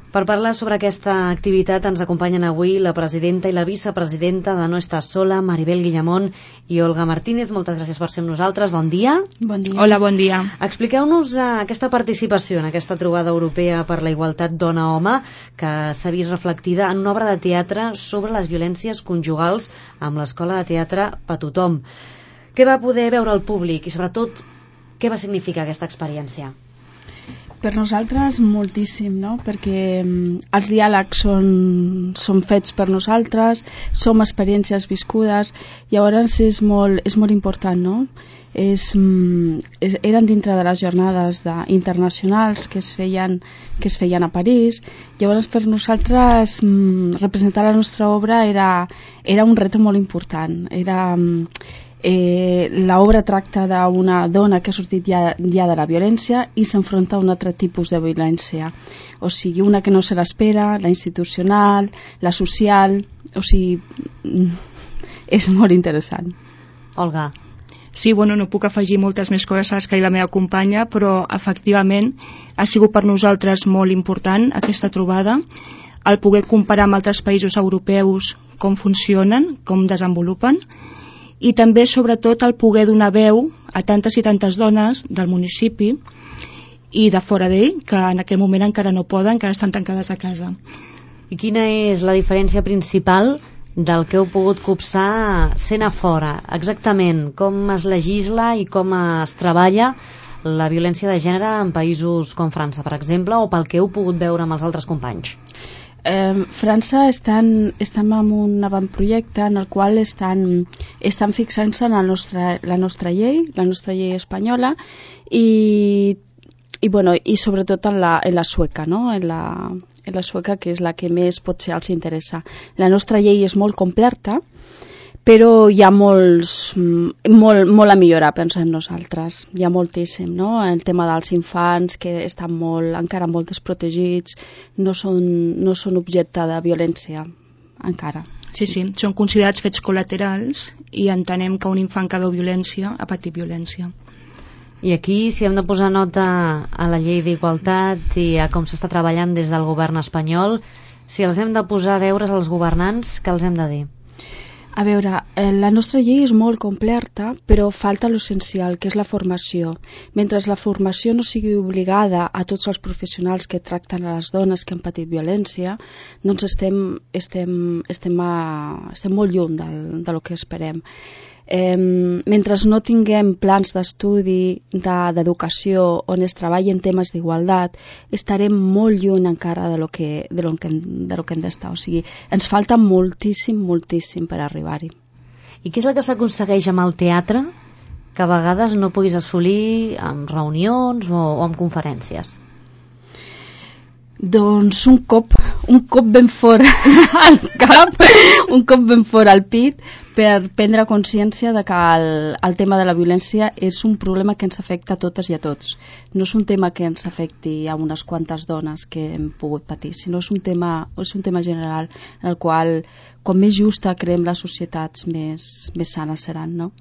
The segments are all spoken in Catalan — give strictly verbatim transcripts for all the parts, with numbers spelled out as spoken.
Per parlar sobre aquesta activitat ens acompanyen avui la presidenta i la vicepresidenta de No Estàs Sola, Maribel Guillamón i Olga Martínez. Moltes gràcies per ser amb nosaltres. Bon dia. Bon dia. Hola, bon dia. Expliqueu-nos uh, aquesta participació en aquesta trobada europea per la igualtat dona-home que s'ha vist reflectida en una obra de teatre sobre les violències conjugals amb l'Escola de Teatre Per Tothom. Què va poder veure el públic i, sobretot, què va significar aquesta experiència? Per nosaltres moltíssim, no? Perquè um, els diàlegs són, són fets per nosaltres, som experiències viscudes, llavors és molt, és molt important, no? És, um, és, eren dintre de les jornades de, internacionals que es, feien, que es feien a París, llavors per nosaltres um, representar la nostra obra era, era un reto molt important, era... Um, Eh, l'obra tracta d'una dona que ha sortit ja, ja de la violència i s'enfronta a un altre tipus de violència, o sigui, una que no se l'espera, la institucional, la social, o sigui, és molt interessant. Olga. Sí, bueno, no puc afegir moltes més coses a les que ha dit la meva companya, però efectivament ha sigut per nosaltres molt important aquesta trobada, el poder comparar amb altres països europeus com funcionen, com desenvolupen, i també, sobretot, el poder donar veu a tantes i tantes dones del municipi i de fora d'ell, que en aquest moment encara no poden, encara estan tancades a casa. I quina és la diferència principal del que heu pogut copsar sent a fora? Exactament, com es legisla i com es treballa la violència de gènere en països com França, per exemple, o pel que heu pogut veure amb els altres companys? Eh, França estan, estan en un avantprojecte en el qual estan, estan fixant-se en la nostra, la nostra llei, la nostra llei espanyola i, i, bueno, i sobretot en la, en la sueca, no? en, la, en la sueca, que és la que més potser els interessa. La nostra llei és molt completa, però hi ha molts, molt, molt a millorar, pensem nosaltres. Hi ha moltíssim, no? El tema dels infants, que estan molt, encara molt desprotegits, no són, no són objecte de violència, encara. Sí, sí, són considerats fets col·laterals i entenem que un infant que veu violència ha patit violència. I aquí, si hem de posar nota a la llei d'igualtat i a com s'està treballant des del govern espanyol, si els hem de posar deures als governants, què els hem de dir? A veure, eh, la nostra llei és molt completa, però falta l'essencial, que és la formació. Mentre la formació no sigui obligada a tots els professionals que tracten a les dones que han patit violència, doncs estem, estem, estem, a, estem molt lluny del, del que esperem. Eh, mentre no tinguem plans d'estudi, de, d'educació, on es treballi en temes d'igualtat, estarem molt lluny encara de lo que, de lo que, de lo que hem d'estar. O sigui, ens falta moltíssim, moltíssim per arribar-hi. I què és el que s'aconsegueix amb el teatre que a vegades no puguis assolir amb reunions o, o amb conferències? Doncs un cop, un cop ben fort al cap, un cop ben fort al pit, per prendre consciència de que el, el tema de la violència és un problema que ens afecta a totes i a tots. No és un tema que ens afecti a unes quantes dones que hem pogut patir, sinó és un tema, és un tema general en el qual, com més justa creem les societats, més, més sanes seran, no?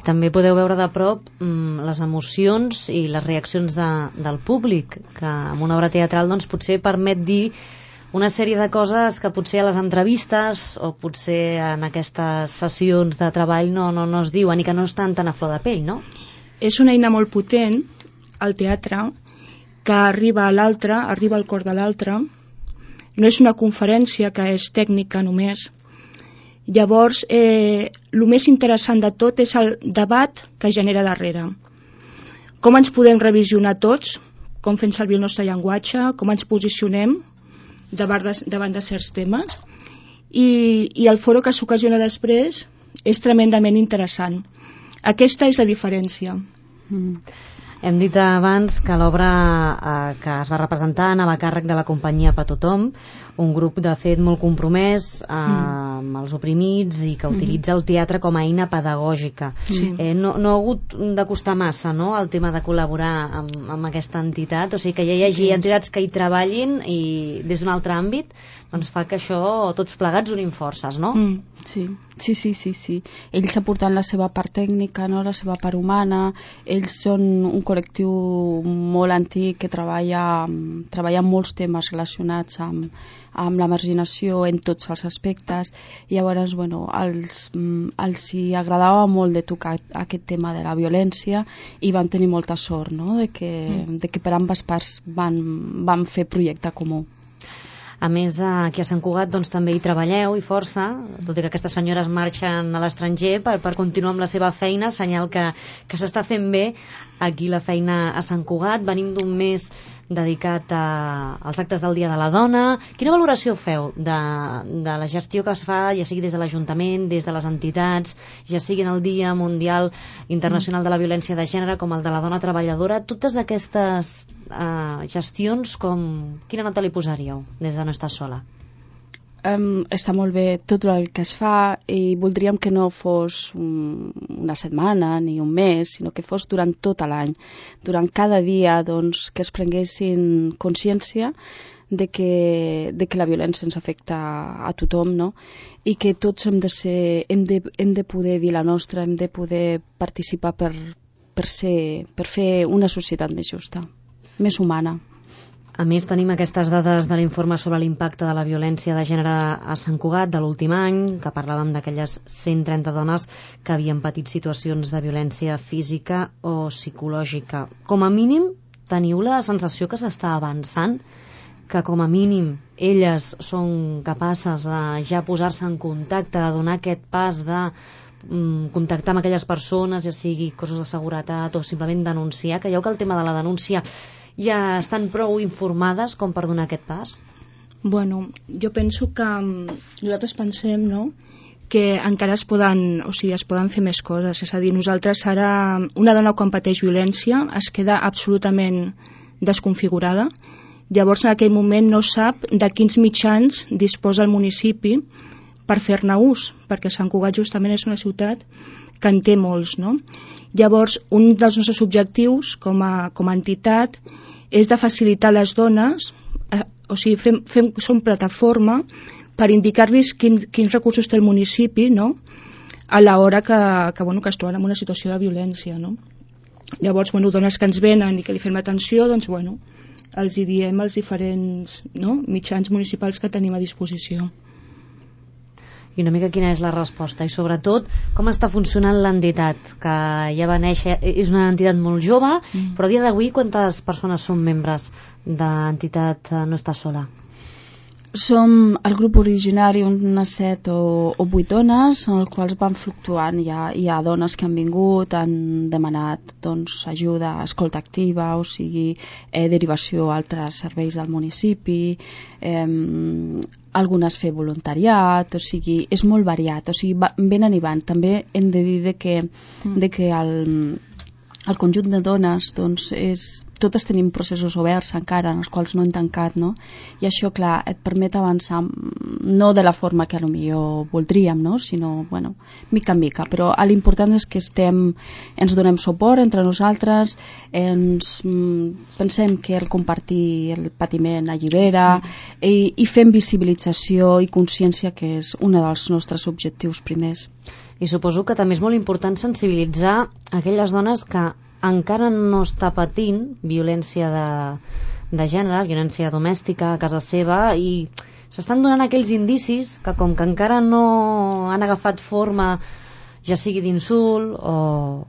També podeu veure de prop mm, les emocions i les reaccions de, del públic, que en una obra teatral doncs, potser permet dir una sèrie de coses que potser a les entrevistes o potser en aquestes sessions de treball no, no, no es diuen i que no estan tan a flor de pell, no? És una eina molt potent, el teatre, que arriba a l'altre, arriba al cor de l'altre. No és una conferència que és tècnica només. Llavors, eh, el més interessant de tot és el debat que genera darrere. Com ens podem revisionar tots, com fem servir el nostre llenguatge, com ens posicionem davant de, davant de certs temes, i, i el foro que s'ocasiona després és tremendament interessant. Aquesta és la diferència. Mm. Hem dit abans que l'obra eh, que es va representar anava a càrrec de la companyia Per Tothom, un grup de fet molt compromès eh, mm. amb els oprimits i que utilitza el teatre com a eina pedagògica. Sí. Eh, no, no ha hagut de costar massa, no?, el tema de col·laborar amb, amb aquesta entitat, o sigui que ja hi hagi entitats que hi treballin i des d'un altre àmbit, doncs fa que això, tots plegats, unim forces, no? Mm, sí. Sí, sí, sí, sí. Ells aportant la seva part tècnica, no? La seva part humana. Ells són un col·lectiu molt antic que treballa, treballa molts temes relacionats amb, amb la marginació en tots els aspectes. I llavors, bueno, els, els hi agradava molt de tocar aquest tema de la violència i vam tenir molta sort, no? De que, mm. de que per ambes parts van, van fer projecte comú. A més, aquí a Sant Cugat doncs, també hi treballeu i força, tot i que aquestes senyores marxen a l'estranger per, per continuar amb la seva feina, senyal que, que s'està fent bé aquí la feina a Sant Cugat. Venim d'un mes dedicat a, als actes del Dia de la Dona. Quina valoració feu de, de la gestió que es fa, ja sigui des de l'Ajuntament, des de les entitats, ja sigui en el Dia Mundial Internacional de la Violència de Gènere com el de la Dona Treballadora? Totes aquestes uh, gestions, com... quina nota li posaríeu des de No Estàs Sola? Um, està molt bé tot el que es fa i voldríem que no fos un, una setmana ni un mes, sinó que fos durant tot l'any, durant cada dia, doncs, que es prenguessin consciència de que, de que la violència ens afecta a tothom, no? I que tots hem de, ser, hem de, hem de poder dir la nostra, hem de poder participar per, per, ser, per fer una societat més justa, més humana. A més, tenim aquestes dades de l'informe sobre l'impacte de la violència de gènere a Sant Cugat de l'últim any, que parlàvem d'aquelles cent trenta dones que havien patit situacions de violència física o psicològica. Com a mínim, teniu la sensació que s'està avançant, que com a mínim elles són capaces de ja posar-se en contacte, de donar aquest pas de mm, contactar amb aquelles persones, ja sigui cossos de seguretat o simplement denunciar. Creieu que el tema de la denúncia ja estan prou informades com per donar aquest pas? Bueno, jo penso que nosaltres pensem, no?, que encara es poden, o sigui, es poden fer més coses. És a dir, nosaltres ara, una dona quan pateix violència es queda absolutament desconfigurada. Llavors, en aquell moment no sap de quins mitjans disposa el municipi per fer-ne ús, perquè Sant Cugat justament és una ciutat que en té molts, no? Llavors, un dels nostres objectius com a, com a entitat és de facilitar a les dones, eh, o sigui, fem, fem, som plataforma per indicar-los quin, quins recursos té el municipi, no?, a l'hora que, que, bueno, que es troben en una situació de violència, no? Llavors, bueno, dones que ens venen i que li fem atenció, doncs, bueno, els hi diem els diferents, no?, mitjans municipals que tenim a disposició. I una mica quina és la resposta i sobretot com està funcionant l'entitat, que ja va néixer, és una entitat molt jove, mm. però a dia d'avui quantes persones són membres d'entitat No Estàs Sola? Som el grup originari unes set o, o vuit dones, en els quals van fluctuant. Hi ha, hi ha dones que han vingut, han demanat doncs, ajuda, escolta activa, o sigui, eh, derivació a altres serveis del municipi, eh, algunes fer voluntariat, o sigui, és molt variat, o sigui, va, venen i van. També hem de dir de que, mm. de que el, el conjunt de dones, doncs, és, totes tenim processos oberts encara, en els quals no hem tancat, no? I això, clar, et permet avançar no de la forma que potser voldríem, no? Sinó, bueno, mica en mica, però l'important és que estem, ens donem suport entre nosaltres, ens mm, pensem que el compartir el patiment allibera, mm. i, i fem visibilització i consciència, que és un dels nostres objectius primers. I suposo que també és molt important sensibilitzar aquelles dones que encara no està patint violència de, de gènere, violència domèstica a casa seva, i s'estan donant aquells indicis que com que encara no han agafat forma, ja sigui d'insult o,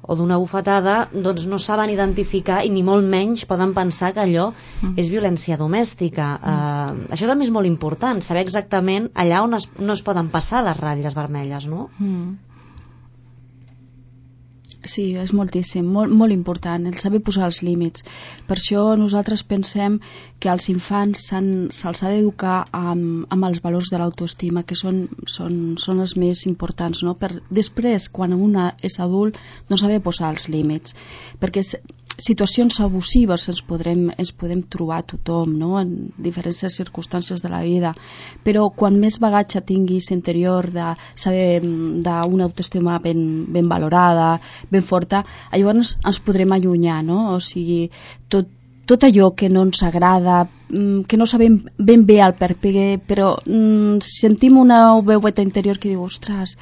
o d'una bufetada, doncs no saben identificar i ni molt menys poden pensar que allò mm. és violència domèstica. Mm. Uh, això també és molt important, saber exactament allà on es, no es poden passar les ratlles vermelles, no? Mm. Sí, és moltíssim, molt, molt important el saber posar els límits. Per això nosaltres pensem que als infants se'ls ha d'educar amb, amb els valors de l'autoestima, que són, són, són els més importants, no? Per després, quan una és adult, no saber posar els límits, perquè situacions abusives ens podrem, ens podem trobar a tothom, no?, en diferents circumstàncies de la vida, però quan més bagatge tinguis interior de saber d'una autoestima ben, ben valorada, ben forta, llavors ens podrem allunyar, no? O sigui, tot, tot allò que no ens agrada, que no sabem ben bé el perquè, però mm, sentim una veueta interior que diu, ostres,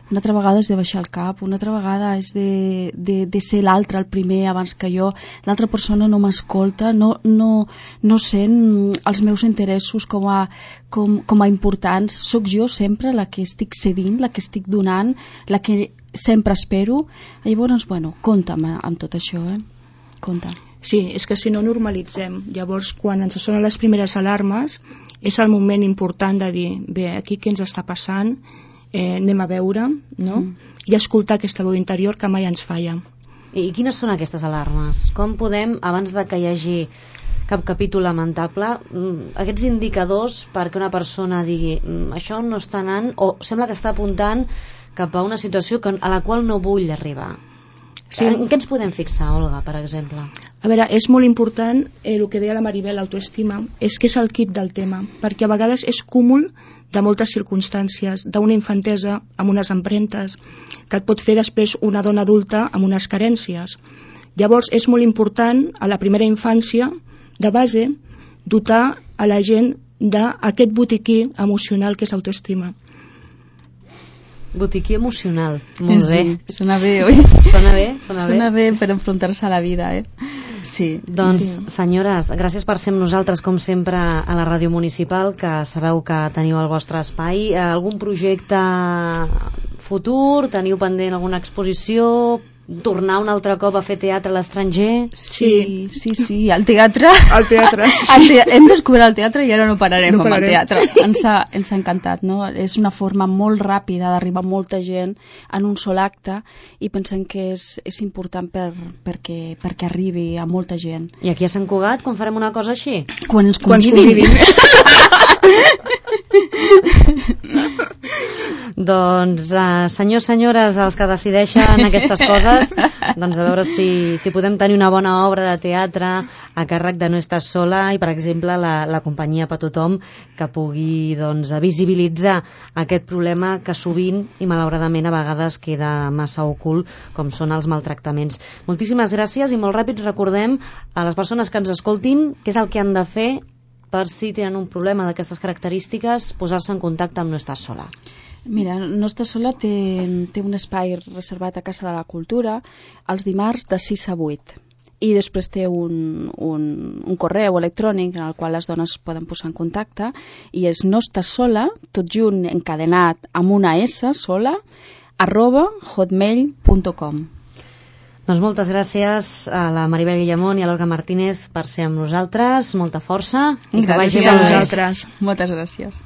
una altra vegada és de baixar el cap, una altra vegada és de, de, de ser l'altre el primer abans que jo, l'altra persona no m'escolta, no, no, no sent els meus interessos com a, com, com a importants, sóc jo sempre la que estic cedint, la que estic donant, la que sempre espero. Llavors, bueno, compta'm amb tot això, eh? Compte. Sí, és que si no normalitzem, llavors quan ens sonen les primeres alarmes és el moment important de dir, bé, aquí què ens està passant, eh, anem a veure, no? Mm. I escoltar aquesta veu interior que mai ens falla. I quines són aquestes alarmes? Com podem, abans de que hi hagi cap capítol lamentable, aquests indicadors perquè una persona digui això no està anant, o sembla que està apuntant cap a una situació que, a la qual no vull arribar? Sí. En què ens podem fixar, Olga, per exemple? A veure, és molt important eh, el que deia la Maribel, l'autoestima, és que és el kit del tema, perquè a vegades és cúmul de moltes circumstàncies, d'una infantesa amb unes empremtes, que et pot fer després una dona adulta amb unes carències. Llavors és molt important, a la primera infància, de base, dotar a la gent d'aquest botiquí emocional que és autoestima. Botiquí emocional, molt sí, bé. Sona bé, oi? Sona bé, sona, sona bé. bé per enfrontar-se a la vida, eh? Sí. Doncs, sí. Senyores, gràcies per ser amb nosaltres, com sempre, a la Ràdio Municipal, que sabeu que teniu el vostre espai. Algun projecte futur? Teniu pendent alguna exposició? Tornar un altre cop a fer teatre a l'estranger? Sí, sí, sí, al teatre. Al teatre, sí. Al te hem descobert el teatre i ara no pararem no amb pararem. el teatre. Ens ha, ens ha encantat, no? És una forma molt ràpida d'arribar a molta gent en un sol acte i pensem que és, és important per, perquè, perquè arribi a molta gent. I aquí a Sant Cugat, quan farem una cosa així? Quan ens Quan convidin. Doncs, uh, senyors, senyores, els que decideixen aquestes coses, doncs a veure si, si podem tenir una bona obra de teatre a càrrec de No estàs sola i, per exemple, la, la companyia per tothom que pugui doncs, visibilitzar aquest problema que sovint i malauradament a vegades queda massa ocult, com són els maltractaments. Moltíssimes gràcies i molt ràpid recordem a les persones que ens escoltin què és el que han de fer per si tenen un problema d'aquestes característiques, posar-se en contacte amb No estàs sola. Mira, No estàs sola té, té un espai reservat a Casa de la Cultura els dimarts de sis a vuit i després té un, un, un correu electrònic en el qual les dones poden posar en contacte i és no estàs sola, tot junt encadenat amb una S sola, arroba hotmail punt com. Doncs moltes gràcies a la Maribel Guillamón i a l'Olga Martínez per ser amb nosaltres, molta força i gràcies que vagi a bé. vosaltres. Moltes gràcies.